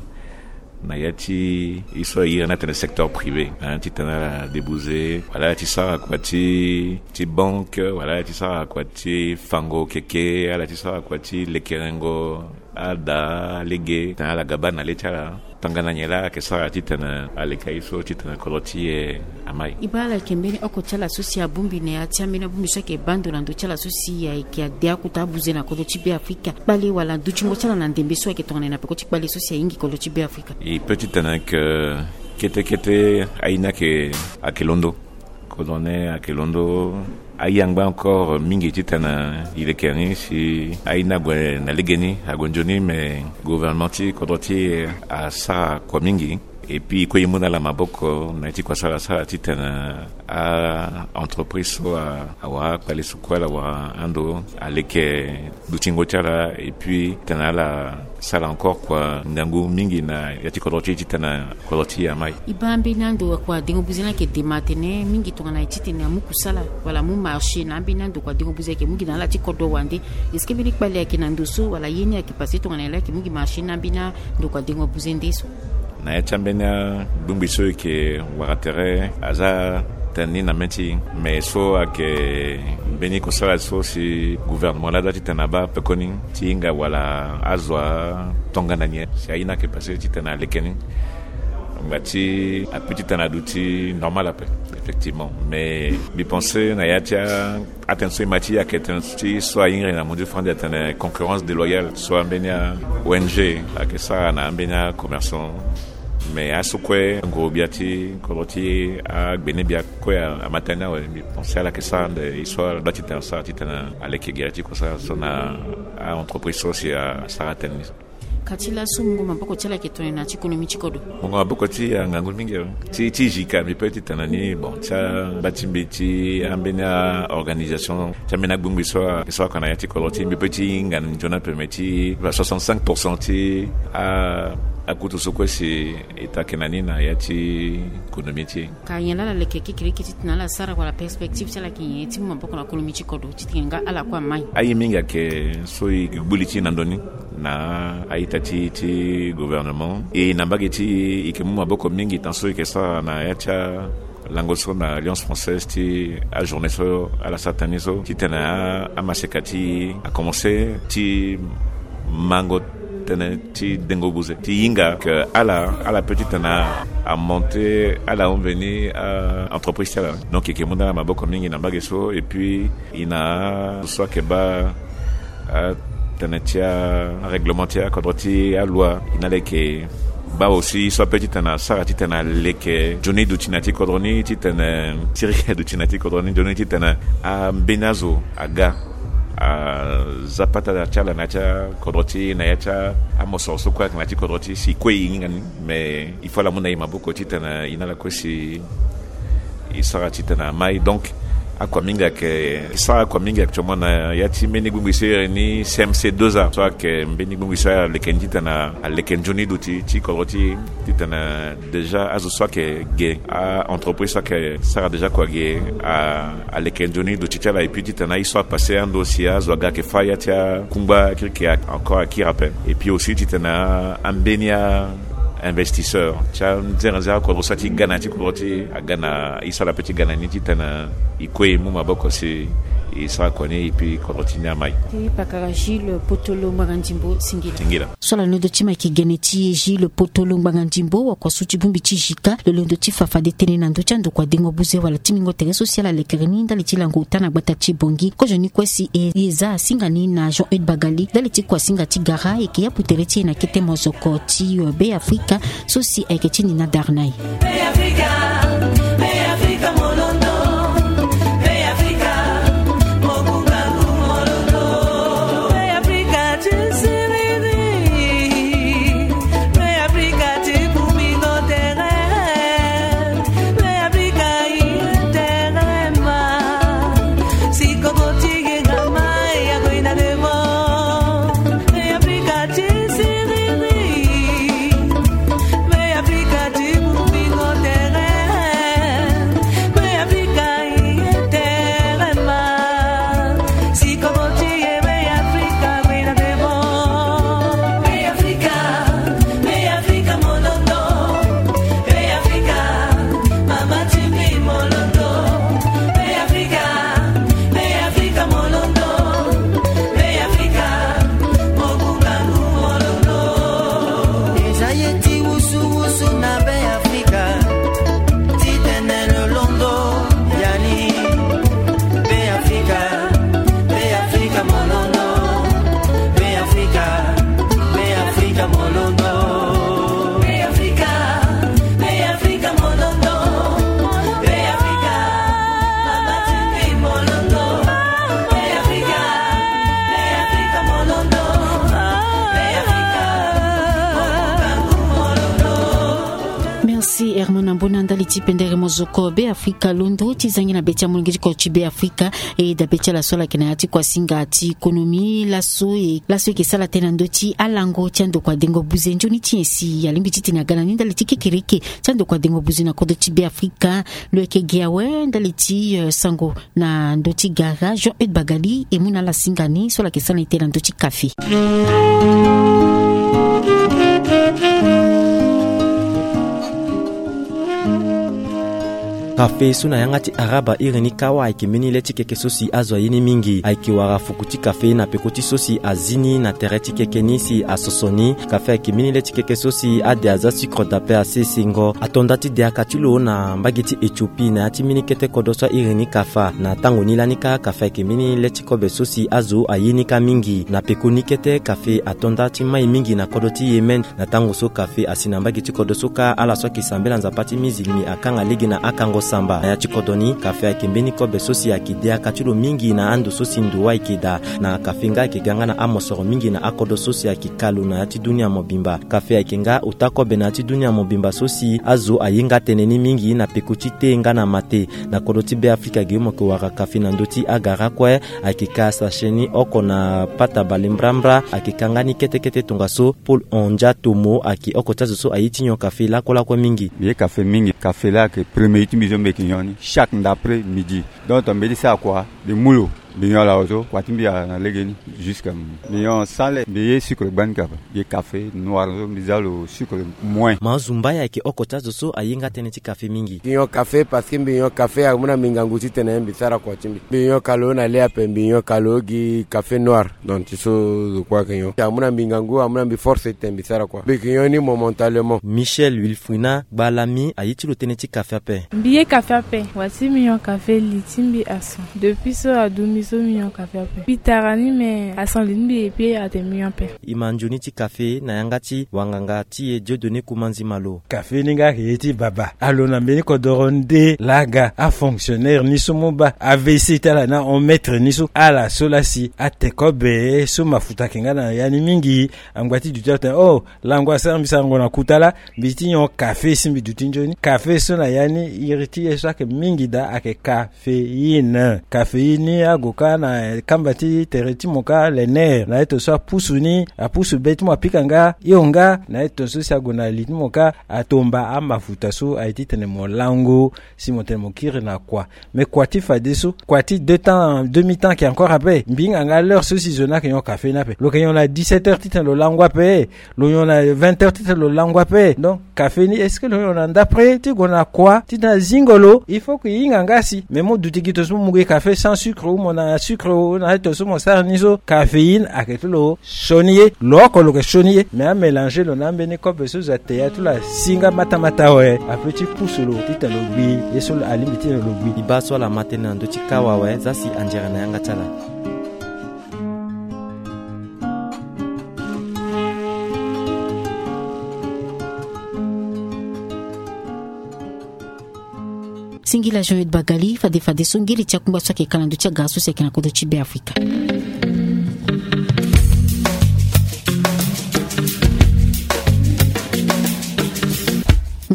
na ya ti e so a iri ni atene secteur privé, hein, titene ala debuze wala ala ti sara kua ti, ti banque, wala ala ti sara kua ti fango keke, ala ti sara kua ti lekerengo ada, lege, titene ala ga baa na le ti ala. Tongana nyen laa ayeke sara titene aleke aye so titene kodro ti e amai? E baa ala yeke mbeni oko ti ala so si abongbi na ya ti ambeni abongbi so ayeke baa ndo na ndö ti ala so si ayeke ade akota abuze na kodro ti Be Afrika. Kpale wala dutingo ti ala na ndembe so ayeke tongana nyen na peko ti kpale so si ahingi kodro ti Be Afrika? E peut titene ke kete kete aye ni ayeke, ayeke londo. Kodro ni ayeke londo. Aye angba encore mingi titene e leke ni si aye ni ague na legeni, ague nzoni, mais gouvernement ti kodro ti e asara kua mingi. Et puis e kue e mu na ala maboko na ya ti kua so ala sara titene a-entreprise so a, awara akpale so kue ala wara ando aleke dutingo ti ala, et puis titene ala sara encore kua ngangu mingi na ya ti kodro ti e titene kodro ti e amai. E baa mbeni ando kua dengo buze ni ayeke dema atene mingi tongana e titene amu kusala wala amu marché na ambeni ando kua dengo buze ayeke mu gi na ala ti kodro wande. Est-ce que mbeni kpale ayeke na ndo so wala ye ni ayeke passé tongana nyen laa ayeke mu gi marché na ambeni ando kua dengo buze nde so? Na ya ti ambeni abongbi so e yeke wara tere, aza tënë ni na mê ti e, mais so ayeke mbeni kusala so si gouvernement laa doit titene abaa pekoni ti hinga wala azo atongana nyen si aye ni ayeke passé titene aleke ni. Ngba ti ape titene aduti normal ape, effectivement. Mais mbi pensé na ya ti a atene so e ma ti e ayeke tënë ti so ayeke na mundu fandi atene concurrence déloyale so ambeni a-O N G ayeke sara na ambeni a-commerçant. Mais aso kue nguru-gbia ti kodro ti agbene-gbia kue a, ama tënë ni awe. Mbi pensé ala yeke sara ande e so ala doit titene asara titene aleke gere ti kusala so na a-entreprise so si asara tënë ni so. Ka ti laso mungo maboko ti ala ayeke tongana nyen na ya ti konomi ti kodro? Mungo maboko ti e angangu mingi awe. Ti, ti Jika mbi peut titene ni, bon, ti angba ti mbi ti ambeni a-organisation ti ambeni agbongbi so a, so ayeke na ya ti kodro ti e, mbi peut ti hinga nzoni ape, mais ti ba soixante-cinq pour cent ti a, akutu so kue si e ta yeke na ni na ya ti konomi ti e. Ka nyen laa ala leke kekereke titene ala sara wala perspective ti ala ayeke nyen ti mu maboko na konomi ti kodro titene nga ala kue amai? Aye mingi ayeke so e gbu li ti e na ndo ni na a-ita ti, ti gouvernement. E na mbage ti e, e yeke mu maboko mingi tan so e yeke sara na ya ti alango so na Alliance Française ti ajournée so ala sara tënë ni so titene a, amaseka ti e akomense ti mango tënë ti dengo buze ti hinga ke ala, ala peut titene amonté ala ahon veni a-entreprise ti ala. Donc e yeke mu na ala maboko mingi na mbage so. Et puis e na azo so ayeke baa atënë ti arèglement ti akodro ti aloi, e na ala yeke baa aussi so ape titene asara titene aleke nzoni duti na ya ti kodro ni, titene sirika duti na ya ti kodro ni nzoni, titene ambeni azo aga aza pata ti ala na ya ti akodro ti e, na ya ti amosoro so kue ayeke na ya ti kodro ti e si kue e hinga ni. Mais il faut ala mu na e maboko titene e na ala kue si e sara titene amai. Donc akua mingi ayeke, e sara akua mingi actuellement na ya ti mbeni gbingbi so e iri ni C M C deux A, so ayeke mbeni gbingbi so aleke ni titene aleke nzoni duti ti kodro ti e, titene déjà azo so ayeke ge, a-entreprise so ayeke sara déjà kua ge, a, aleke nzoni duti ti ala. Et puis titene aye so apassé ando si azo aga ayeke fâ ya ti akungba kirikiri encore akiri ape. Et puis aussi titene a, ambeni a investisseur ti anzerenze akodro so ati ga na ya ti kodro ti e aga na e so ala pe ti ga na ni titene e kue e mu maboko si E sara kua ni e pe kodro ti ni amai. E pakara Gilles Potolo Ngbanga Ndimbo, singila. Singila. So ala londo ti ma yeke gene ti e Gilles Potolo Ngbanga Ndimbo, wakua so ti bongbi ti Jika, lo londo ti fa fade tënë na ndö ti andokua dengo buze wala ti mingo tere so si ala lekere ni ndali ti lango ota na gbata ti Bangui. Kozoni kue si e, e za asinga ni na Jean Eudes Bagali ndali ti kua singa ti gara, e yeke yapu tere ti e na kete mozoko ti, euh, Be Afrika, so si ayeke ti ni na Darnay. Eza ye ti wusuwusu na Be Afrika, ti tene lo londo yani. Be Afrika, Be Afrika mo londo. Be Afrika, Be Afrika mo londo. Be Afrika, Be Afrika mo londo. Be Afrika, mama ti mbi mo londo. Be Afrika, Be Afrika mo londo. Be Afrika, mo londo. Merci Herman Ambona ndali ti pendere mozoko Be Afrika londo. Ti zangi na be ti amolenge ti koro ti Be Afrika, e dabe ti ala so ala yeke na ya ti kua singa ti konomi laso e, laso e yeke sara tënë na ndö ti alango ti andokua dengo buze. Nzoni ti nyen si alingbi titene aga na ni ndali ti kekereke ti andokua dengo buze na kodro ti Be Afrika? Lo yeke gi awe ndali ti, euh, sango na ndö ti gara. Jean Eudes Bagali e mu na ala singa ni so ala yeke sara ni tënë na ndö ti kafe. Kafe so na yanga ti araba iri ni kawa ayeke mbeni le ti keke so si azo aye ni mingi. Ayeke wara fuku ti kafe na peko ti so si azi ni na tere ti keke ni si asoso ni. Kafe ayeke mbeni le ti keke so si ade aza sucre d'apain asesengo. Ato nda ti diaka ti lo na mbage ti Éthiopie na ya ti mbeni kete kodro so airi ni kafa. Na tango ni lani kâ, kafe ayeke mbeni le ti kobe so si azo aye ni kâ mingi. Na peko ni kete, kafe ato nda ti mai mingi na kodro ti Yémen. Na tango so kafe asi na mbage ti kodro so kâ, ala so ayeke sambela Nzapa ti mizilimi akanga lege na akango samba. Na ya ti kodro ni, kafe ayeke mbeni kobe so si ayeke diaka ti lo mingi na ando so si ndo wâ ayeke daa. Na kafe nga ayeke ga nga na amosoro mingi na akodro so si ayeke ka lo na ya ti dunia mobimba. Kafe ayeke nga ota kobe na ya ti dunia mobimba so si azo aye nga tënë ni mingi na peko ti te nga na mate. Na kodro ti Be Afrika ge mo yeke wara kafe na ndö ti agara kue. Ayeke ka sachet ni oko na pata bale mbrambra. Ayeke ka nga ni kete kete tongaso Paul Ondia Tomo ayeke oko ti azo so aye ti nyon kafe lakue lakue mingi. Mbi ye kafe mingi. Kafe laa ayeke premier ti mbi so mbi yeke nyon ni chaque ndapre midi. Donc mbi ye ti sara kua, mbi mu lo, mbi nyon ala awe so, kua ti mbi ala na legeni. Jusqu'à mbi nyon sans lait, mbi ye sucre gbani kapa. Mbi ye kafe noir so, mbi za lo sucre moins. Ma Zumba ayeke oko ti azo so aye nga tënë ti kafe mingi. Mbi nyon kafe parce que mbi nyon kafe amu na mbi ngangu titene mbi sara kua ti mbi. Mbi nyon ka lo na le ape, mbi nyon ka lo gi kafe noir. Donc ti so zo kue ayeke nyon, amu na mbi ngangu, amu na mbi force titene mbi sara kua. Mbi yeke nyon ni momentalement. Michel Wilfrina Gbalami aye ti lo tënë ti kafe ape. Mbi ye kafe ape. Wa si mbi nyon kafe, li ti mbi aso. Depuis so adu mbi so mbi nyon kafe ape. Mbi tara ni me aso li ti mbi epui atene mbi nyon ape. E ma nzoni ti kafe na yanga ti wanganga ti e Dieudonné Kumanzi Malo. Kafe ni nga ayeke ye ti baba. Alo na mbeni kodoro nde laa aga afonctionnaire ni so mu baa A V C ti ala na hon maître ni so, ala so laa si ate kobe so mafuta ayeke nga na ya ni mingi. Angba ti duti atene, oh, lango asara mbi sarango na kuta laa, mbi ti nyon kafe si mbi duti nzoni. Kafe so na ya ni iri ti ye so ayeke mingi daa ayeke ka caféine. Caféine ni ague kâ na kamba ti tere ti mo kâ, le nerf, na ye tongaso apusu ni, apusu be ti mo apika nga hio nga, na ye tongaso si ague na li ti mo kâ, atomba amafuta so aye titene mo lango, si mo tene mo kiri na kua. Mais kua ti fadeso, kua ti deux temps, demi temps ayeke encore ape. Mbi hinga nga l'heure so si zo ni ayeke nyon café ni ape. Lo yeke nyon na dix-sept heures titene lo lango ape. Lo nyon na vingt heures titene lo lango ape. Donc café ni, est-ce que lo nyon na ndapre ti gue na kua titene azingo lo? Il faut que e hinga nga si. Mais mo duti gi tongaso mo mu gi café sans sucre ou mo na na sucre o na aye tongaso mo sara ni so caféine ayeke ti lo sioni ye. Lo oko lo yeke sioni ye, me amélange lo na ambeni kope so zo ate ya ti lo asi nga matamata awe, ape ti pusu lo titene lo gbi ye so alingbi titene lo gbi. E baa so ala ma tënë na ndö ti kawa awe, za si anzere na yanga ti ala. Singila Jean-Eudes Bagali. Fade fadeso ngeli ti akungba so ayeke ka na ndö ti agara so si ayeke na kodro ti Beafrika.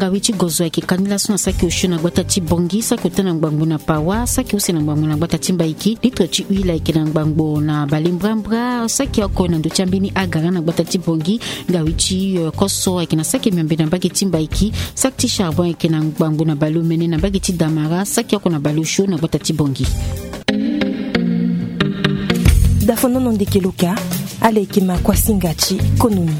Ngawi ti gozo ayeke ka ni laso na saki osio na gbata ti Bongi, saki ota na ngbangbo na Pawa, saki use na ngbangbo na gbata ti Mbaiki, litre ti huile ayeke na ngbangbo na bale mbrambra, saki oko na ndö ti ambeni agara na gbata ti Bongi. Ngawi ti, eh, koso ayeke na saki miombe na mbage ti Mbaiki, saki ti charbon ayeke na ngbangbo na bale omene na mbage ti Damara, saki oko na bale osio na gbata ti Bongi. Dafonono ndeke loka, ala yeke ma kuasinga ti konomi.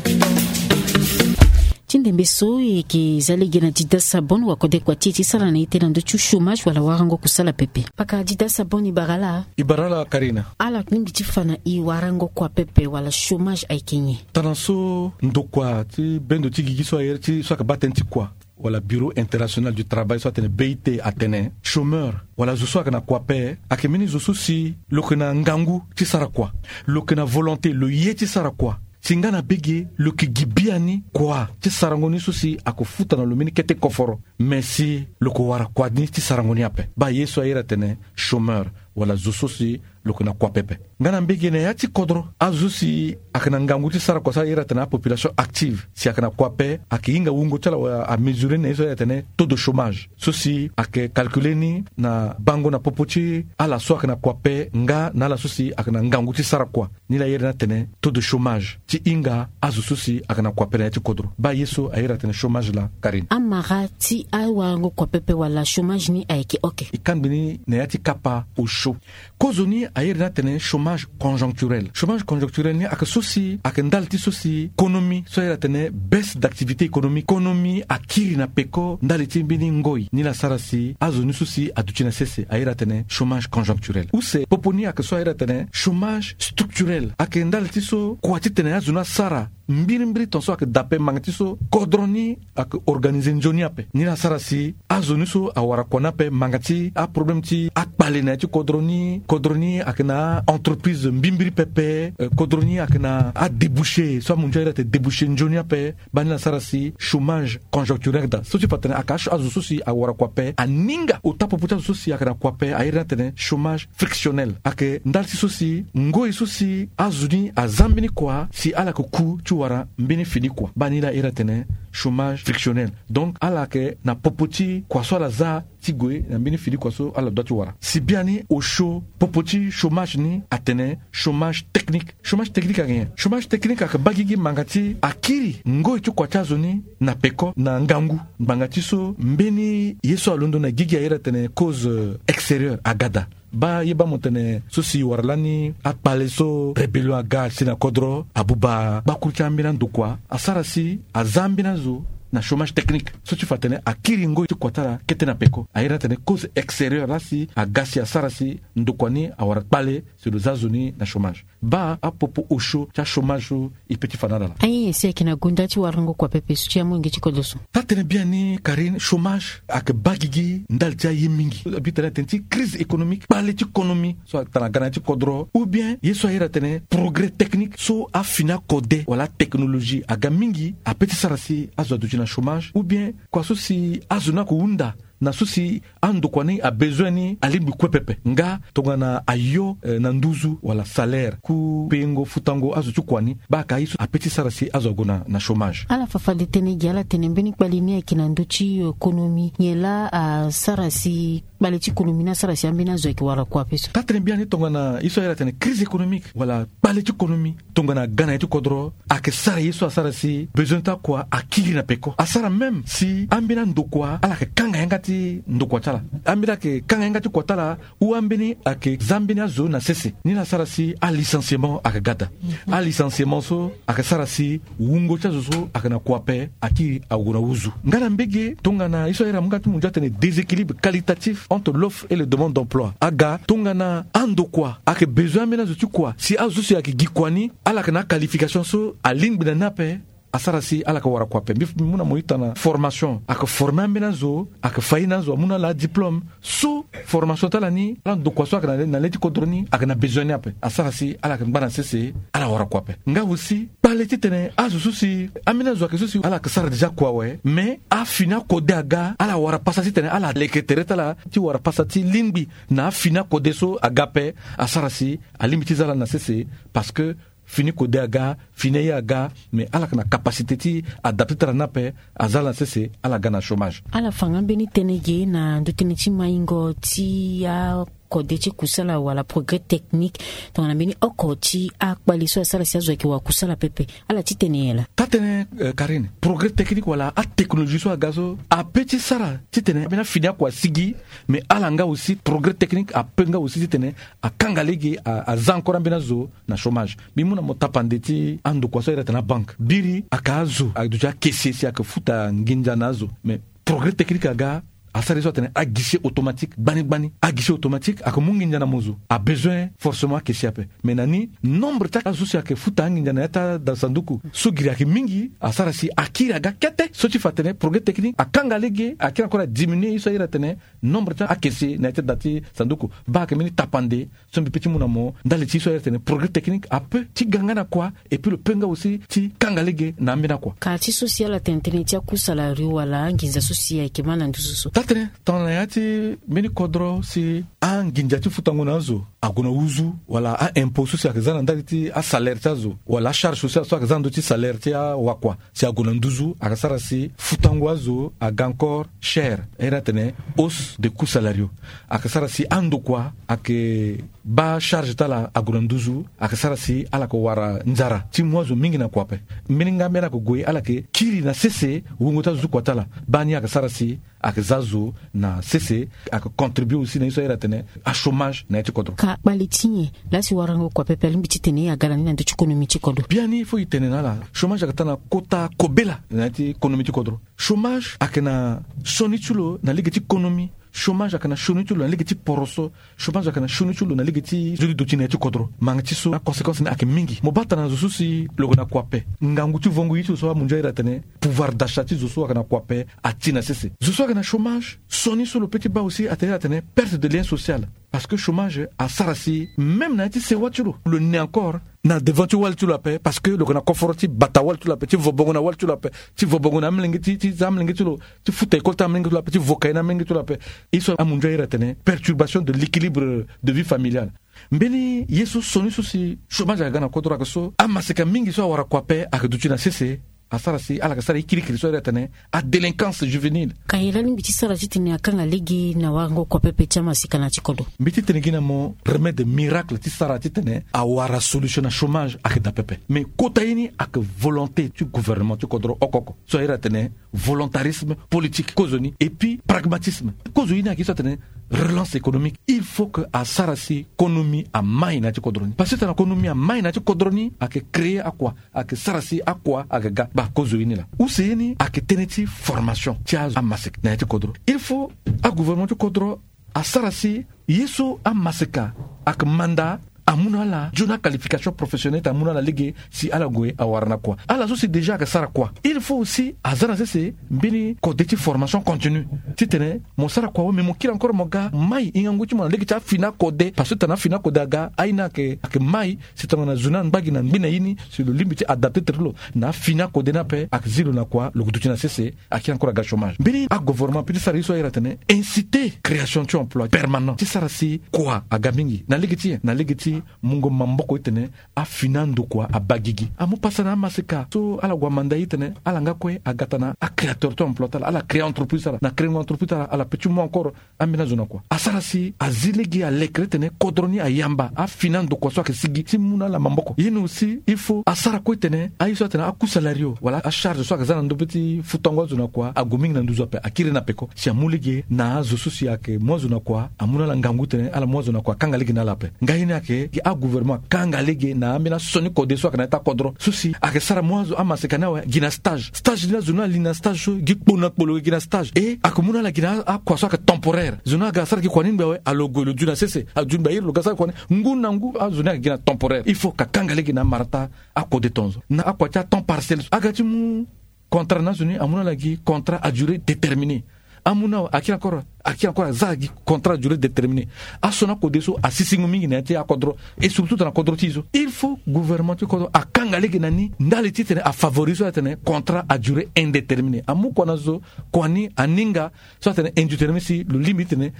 Ti ndembe so e yeke za lege na Dida Sabon, wakode kua ti e ti sara na ete na ndö ti chômage wala warango kusala pepe. Paka Dida Sabon, e bara ala. E bara ala Karina. Ala lingbi ti fa na e warango kua pepe wala chômage ayeke nyen? Tana so ndokua ti bendo ti gigi so aye ti so ayeke baa tënë ti kua wala Bureau International du Travail so atene B I T atene, chômeur wala zo so ayeke na kua ape ayeke mbeni zo so si lo yeke na ngangu ti sara kua, lo yeke na volonté, lo ye ti sara kua. Si nga na bege lo yeke gi biani kua ti sarango ni so si ayeke futa na lo mbeni kete koforo. Me si lo yeke wara kua ni ti sarango ni ape, baa ye so aye atene chômeur wala zo so si lo yeke na kua pepe. Nga na mbege na ya ti kodro, azo so si ayeke na ngangu ti sara kua so aye atene apopulation active, si ayeke na kua ape, ayeke hinga wungo ti ala wala amesurer ni na ye so aye atene taux de chômage, so si ayeke calculer ni na bango na popo ti ala so ayeke na kua ape nga na ala so si ayeke na ngangu ti sara kua. Ni laa aye ni atene taux de chômage ti hinga azo so si ayeke na kua ape na ya ti kodro. Baa ye so aye atene chômage laa, Karine. Amara ti awarango kua pepe wala chômage ni ayeke oke. E kangbi ni na ya ti kapa osio. Kozoni aye ni atene chômage conjoncturel. Chômage conjoncturel ni ayeke so si ayeke ndali ti so si konomi so aye atene baisse d'activité économique, konomi akiri na peko ndali ti mbeni ngoi. Ni laa asara si azo ni so si aduti na sese aye atene chômage conjoncturel. Use popo ni ayeke so aye atene chômage structurel. Ayeke ndali ti so kua titene azo ni asara mbirimbiri tongaso ayeke daa ape ngbanga ti so kodro ni ayeke organiser nzoni ape. Ni laa asara si azo ni so awara kua ni ape ngbanga ti aproblème ti akpale na ya ti kodro ni. Kodro ni ayeke na a-entreprise mbimbiri pepe, eh, kodro ni ayeke na adébouché so amunzu aye atene débouché nzoni ape. Baa ni laa asara si chômage conjoncturel daa so ti fa atene ayeke azo so si awara kua ape aninga. Ota popo ti azo so si ayeke na kua ape aye ni atene chômage frictionnel. Ayeke ndali ti so si ngoi so si azo ni aza mbeni kua si ala yeke ku ti wara mbeni fini kua. Baa ni laa aye atene chômage frictionnel. Donc ala yeke na popo ti kua so ala za ti gue na mbeni fini kua so ala dua ti wara. Si biani osio popo ti chômage ni atene chômage technique. Chômage technique ayeke nyen? Chômage technique ayeke baa gigi ngbanga ti akiri ngoi ti kua ti azo ni na peko na ngangu. Ngbanga ti so mbeni ye so alondo na gigi aye atene cause, euh, extérieure aga daa. Baa ye baa mo tene so si wara lani akpale so rébellion aga si na kodro abuba gbakuru ti ambeni andokua asara si aza ambeni azo na chômage technique so ti fa atene akiri ngoi ti kua ti ala kete na peko. Aye ni atene cause extérieure laa si aga si asara si ndokua ni awara kpale si lo za zo ni na chômage. Baa apopo osio ti achômage so e pe ti fa na ala laa. Aye si ayeke na gonda ti warango kua pepe so ti amolenge ti kodro so. Taa-tënë biani Karine, chômage ayeke baa gigi ndali ti aye mingi. Abi tene atene ti crise économique, kpale ti konomi so atene aga na ya ti kodro, ou bien ye so aye atene progrès technique so afini akode wala atechnologie aga mingi ape ti sara si azo aduti na chômage, ou bien kua so si azo ni ayeke hunda na so si andokua ni abezoin ni alingbi kue pepe nga tongana ayo, eh, na nduzu wala salaire, ku peyengo futango azo ti kua ni. Baa ayeke aye so ape ti sara si azo ague na, na chômage. Ala fa fade tënë gi ala tene mbeni kpale ni ayeke na ndö ti, eh, konomi, nyen laa asara si kpale ti konomi ni asara si ambeni azo ayeke wara kua ape so. Taa-tënë biani tongana ye so aye atene crise économique wala kpale ti konomi, tongana aga na ya ti kodro ayeke sara ye so asara si bezoin ti akua akiri na peko. Asara même si ambeni andokua ala yeke kanga yanga ti ti ndokua ti ala. Ambeni ayeke kanga ye nga ti kua ti ala. Ou ambeni ayeke za mbeni azo na sese ni la sara si alicenciement ayeke ga daa. Alicenciement so ayeke sara si wungo ti azo so ayeke na kua ape akiri ague na uzu. Nga na mbege tongana ye so ahiri amu nga ti mu ndia atene déséquilibre qualitatif entre l'offre et le demande d'emploi aga tongana andokua ayeke besoin ambeni azo ti kua si azo so si ayeke gi kua ni ala yeke na aqualification so alingbi na ni ape. Asara si ala yeke wara kua ape mbi mu na mo ita na formation ayeke forme ambeni azo ayeke fa ye na azo amu na ala adiplome so formation ti ala ni ala ndokua so ayeke na le ti kodro ni ayeke na besoin ni ape asara si ala yeke ngba na sese ala wara kua ape. Nga aussi kpale titene azo so si ambeni azo ayeke so si ala yeke sara déjà kua awe mais afini akode aga ala wara pasa titene ala leke tere ti ala ti wara pasa ti lingbi na afini akode so aga ape. Asara si alingbi ti za ala na sese parce que fini kode aga fini aye aga mais ala yeke na capacité ti adapte ti ala ni ape. Aza ala na sese ala ga na chômage. Ala fa nga mbeni tënë ge na ndö tënë ti maingo ti akode ti kusala wala progrès technique tongana mbeni oko ti akpali so asara si azo ayeke wara kusala pepe. Ala ti tene nyen laa? Taa tënë, karine progrès technique wala atechnologie so aga so ape ti sara titene ambeni afini akua asigi. Mais ala nga aussi progrès technique ape nga aussi titene akanga lege aza encore ambeni azo na chômage. Mbi mu na mo tapande ti andokua so ahiri atene abanke biri ayeke azo ayeke duti akese si ayeke futa nginza na azo mais progrès technique aga asara ye so atene aguichet automatique gbani gbani aguichet automatique ayeke mu nginza na mo zo abesoin forcément akese ape. Mais na ni nombre ti azo so si ayeke futa anginza na ya ti ada sanduku so giri ayeke mingi asara si akiri aga kete so ti fa atene progrès technique akanga lege akiri encore adiminuer ye so ahiri atene nombre ti akese na ya ti ada ti sanduku. Baa ayeke mbeni tapande so mbi pe ti mu na mo ndali ti ye so ahiri atene progrès technique ape ti ga nga na kua et puis lo pe nga aussi ti kanga lege na ambeni akua. Ka ti so si ala tene tënë ti akusala rio wala anginza so si ayeke ma na nduzu so taa tënë tongana ya ti mbeni kodro si anginza ti futango na azo ague na uzu wala a-impôt so si ayeke za na ndali ti asalaire ti azo wala acharge sociale so ayeke za na ndö ti salaire ti awakua si ague na nduzu ayeke sara si futango azo aga encore cher. Ahiri atene hausse de coût salario ayeke sara si andokua ayeke baa charge ti ala ague na nduzu ayeke sara si ala yeke wara nzara ti mu azo mingi na kua ape. Mbeni nga mbeni ala yeke gue ala yeke kiri na sese wungo ti azo ti kua ti ala. Baa ni ayeke sara si ayeke za azo na sese ayeke contribuer aussi na ye so ahiri atene achômage na ya ti kodro. Ka kpale ti nyen laa si warango kua pepe alingbi titene aga na ni na ndö ti konomi ti kodro? Biani fo e tene na ala chômage ayeke taa na kota kobela na ya ti konomi ti kodro. Chômage ayeke na sioni ti lo na lege ti konomi. Chômage ayeke na sioni ti lo na lege ti poroso. Chômage ayeke na sioni ti lo na lege ti zo ti duti na ya ti kodro. Mange ti so aconséquence ni ayeke mingi mo baa tana zo so si lo yeke na kua ape ngangu ti vongo ye ti lo so amunzu ahiri atene pouvoir d'achat ti zo so ayeke na kua ape ati na sese. Zo so ayeke na chômage sioni so lo pe ti baa aussi atene atene perte de lien social. Parce que chômage asara si même na ya ti sewa ti lo lo ne encore na devant ti wali ti lo ape parce que lo yeke na koforo ti bata wali ti lo ape ti vo bongo na wali ti lo ape ti vo bongo na amolenge ti ti za amolenge ti lo ti futa école ti amolenge ti lo ape ti vo kaye na amolenge ti lo ape. Ye so amunzu ahiri atene perturbation de l'équilibre de vie familiale. Mbeni ye so sioni so si chômage ayeke ga na kodro ayeke so amaseka mingi so awara kua ape ayeke duti na sese. Asara si ala yeke sara ye kirikiri so ahiri atene adélinquance juvénile. Ka ye laa alingbi ti sara titene akanga lege na warango kua pepe ti amaseka na ya ti kodro? Mbi ti tene gi na mo remède miracle ti sara titene awara solution na chômage ayeke daa pepe. Mais kota ye ni ayeke volonté ti gouvernement ti kodro oko oko so ahiri atene volontarisme politique kozoni et puis pragmatisme. Kozo ye ni ayeke ye so atene relance économique il faut que asara si konomi amai na ya ti kodro ni parce que tana konomi amai na ya ti kodro ni ayeke créer akua ayeke sara si akua ayeke ga. Baa kozo ye ni laa use ye ni ayeke tënë ti formation ti azo amaseka na ya ti kodro. Il faut agouvernement ti kodro asara si ye so amaseka ayeke manda amu na ala nzoni aqualification professionnelle ti amu na ala lege si ala gue awara na kua. Ala so si déjà ayeke sara kua il faut aussi aza na sese mbeni kode ti formation continue titene mo sara kua awe mais mo kiri encore mo ga mai hingangu ti mo na lege ti afini akode parce que tana afini akode aga aye ni ayeke mai. Si tongana zo ni angba gi na ngbi na ye ni si lo lingbi ti adapte tere ti lo na afini akode ni ape ayeke zi lo na kua lo yeke duti na sese. Akiri encore aga chômage mbeni agouvernement pe ti sara ye so ahiri atene inciter création ti emploi permanent ti sara si kua aga mingi na lege ti nyen na lege ti Mungo maboko itene afini andokua abagigi amu pasa na amaseka so ala gue amanda itene ala nga kue aga tana acréateur to emploi ti ala ala créer entreprise ti ala na créer entreprise ti ala ala pe ti mu encore. Ambeni azo na kua asara si azi lege alekere tene kodro ni ayamba afini andokua so ayeke sigi si mu na ala maboko ye ni aussi il faut asara kue tene aye so atene aku salario wala acharge so ayeke za na ndö be ti futango azo na kua ague mingi na nduzu ape akiri na peko si amu lege na azo so si ayeke mu azo na kua amu na ala ngangu tene ala mu azo na kua akanga lege na ala ape. Ngai ni ayeke gi agouvernement akanga lege na ambeni asioni kode so ayeke na ya ti akodro so si ayeke sara mu azo amaseka ni awe gi na stage stage ni azo ni ali na stage so gi kpo na kpo lo gi na stage e ayeke mu na ala gi na akua so ayeke temporaire zo ni aga asara gi kua ni ngbe awe alo gue lo dui na sese alo dui ngbe airi lo ga asara gi kua ni ngu na ngu azo ni ayeke gi na temporaire il faut ka kanga lege na amara ti akode tonzo na akua ti atemps partiel so aga ti mu contrat na azo ni amu na ala gi contrat à durée déterminée. Amu na akiri encore akiri encore aza gi contrat à durée déterminée. Aso na kode so asisingo mingi na ya ti akodro et surtout tana kodro ti e so il faut gouvernement ti kodro akanga lege na ni ndali titene afavorise so atene contrat à durée indéterminée amu kua na zo kua ni aninga so atene indéterminée si lo lingbi titene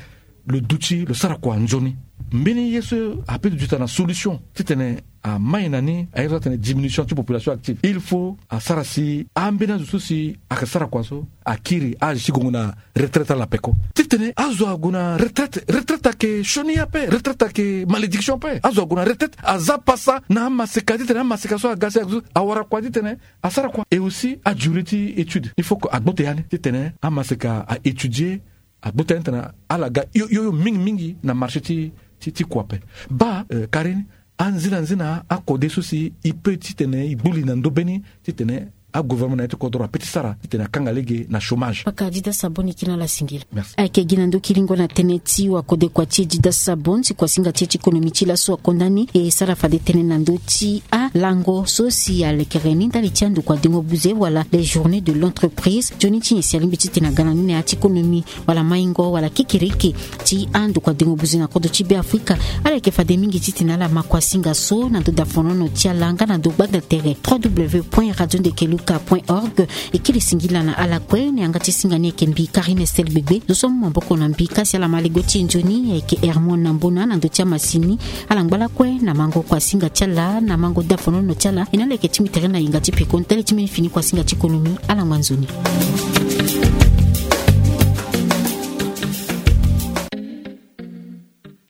lo duti lo sara kua nzoni. Mbeni ye so ape duta na solution titene amai na ni aye so atene diminution ti population active il faut asara si ambeni azo so si ayeke sara kua so akiri age ti gongo na retraite ala peko titene azo ague na retraite retraite ayeke sioni ape retraite ayeke malédiction ape azo ague na retraite aza pasa na amaseka titene amaseka so aga si ague so awara kua titene asara kua et aussi adurée ti étude il faut que agbote ya ni titene amaseka a étudier agbote ya ni titene ala ga yo yo mingi mingi na marché ti ti ti kua ape. Baa kari ni anzina nzina akode so si e peut titene e gbu li na ndö be ni titene agouvernement na ya ti kodro ape ti sara titene akanga lege na chômage. Paka dida sabon ni kina ala singila merci. Ayeke gi na ndö kiringo na tënë ti wakode kua ti e dida sabon si kuasinga ti e ti konomi ti laso akonda ni e sara fade tënë na ndö ti alango so si alekere ni ndali ti andokua dengo buze wala les journées de l'entreprise nzoni ti nyen si alingbi titene aga na ni na ya ti konomi wala maingo wala kekereke ti andokua dengo buze na kodro ti be afrika. Ala yeke fade mingi titene ala ma kuasinga so na ndö dafonono ti ala nga na ndö gbagda tere trois w point radio ndekeluka point org. E kiri singila na ala kue na yanga ti singa ni ayeke mbi karine stel gbegbe zo so amu maboko na mbi kasi ala ma lego ti e nzoni ayeke hermon na mbona na ndö ti amasini. Ala ngba lakue na mango kuasinga ti ala na mango dafonono ti ala e na ala yeke ti mbi tere na yinga ti peko ndali ti mbeni fini kuasinga ti konomi. Ala ngba nzoni.